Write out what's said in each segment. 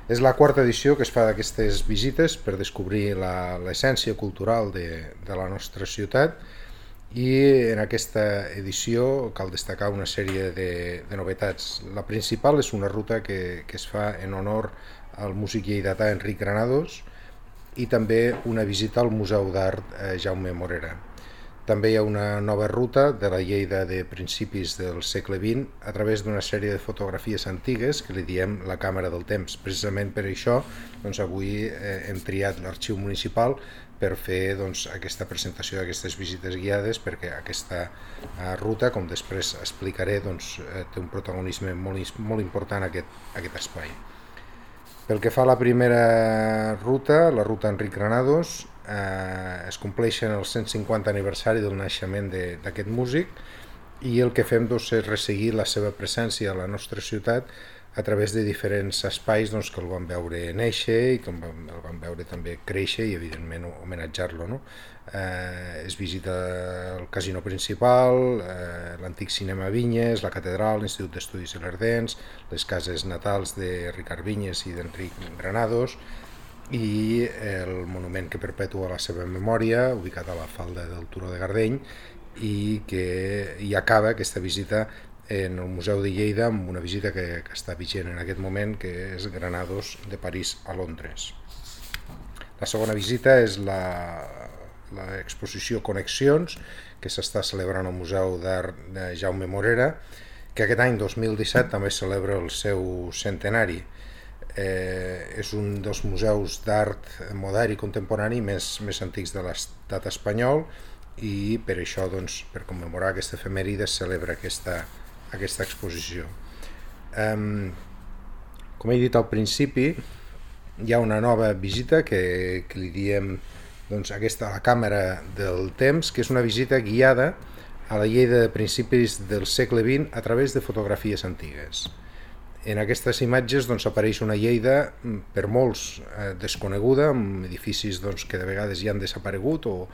És la quarta edició que es fa d'aquestes visites per descobrir l'essència cultural de la nostra ciutat, i en aquesta edició cal destacar una sèrie de novetats. La principal és una ruta que es fa en honor al músic lleidatà Enric Granados, i també una visita al Museu d'Art Jaume Morera. També hi ha una nova ruta de la Lleida de principis del segle XX a través d'una sèrie de fotografies antigues que li diem la càmera del temps. Precisament per això avui hem triat l'Arxiu Municipal per fer aquesta presentació d'aquestes visites guiades, perquè aquesta ruta, com després explicaré, té un protagonisme molt important en aquest espai. Pel que fa a la primera ruta, la ruta Enric Granados, es compleixen el 150 aniversari del naixement d'aquest músic, i el que fem és resseguir la seva presència a la nostra ciutat a través de diferents espais que el van veure néixer i que el van veure també créixer, i evidentment homenatjar-lo, no? Es visita el casino principal, l'antic cinema Vinyes, la catedral, l'Institut d'Estudis Ilerdencs, les cases natals de Ricard Vinyes i d'Enric Granados, i el monument que perpetua la seva memòria, ubicat a la falda del Turó de Gardeny, i que hi acaba aquesta visita en el Museu de Lleida amb una visita que està vigent en aquest moment, que és Granados de París a Londres. La segona visita és l'exposició Connexions, que s'està celebrant al Museu d'Art de Jaume Morera, que aquest any 2017 també celebra el seu centenari. És un dels museus d'art modern i contemporani més antics de l'estat espanyol, i per això, per commemorar aquesta efemèride, es celebra aquesta exposició. Com he dit al principi, hi ha una nova visita que li diem aquesta, la càmera del temps, que és una visita guiada a la Lleida de principis del segle XX a través de fotografies antigues. En aquestes imatges apareix una Lleida per molts desconeguda, amb edificis que de vegades ja han desaparegut, o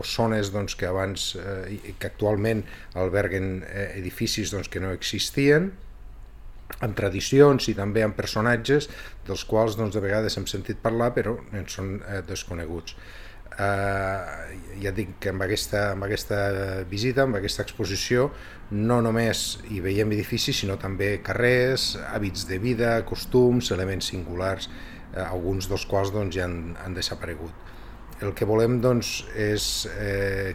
zones que actualment alberguen edificis que no existien, amb tradicions i també amb personatges dels quals de vegades hem sentit parlar però en són desconeguts. Ja dic que amb aquesta visita, amb aquesta exposició, no només hi veiem edificis, sinó també carrers, hàbits de vida, costums, elements singulars, alguns dels quals ja han desaparegut. El que volem és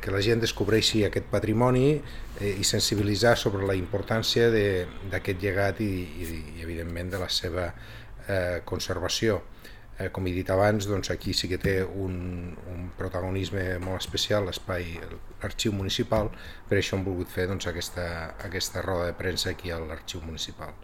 que la gent descobreixi aquest patrimoni i sensibilitzar sobre la importància d'aquest llegat i evidentment de la seva conservació. Com he dit abans, aquí sí que té un protagonisme molt especial l'espai, l'Arxiu Municipal, per això hem volgut fer aquesta roda de premsa aquí a l'Arxiu Municipal.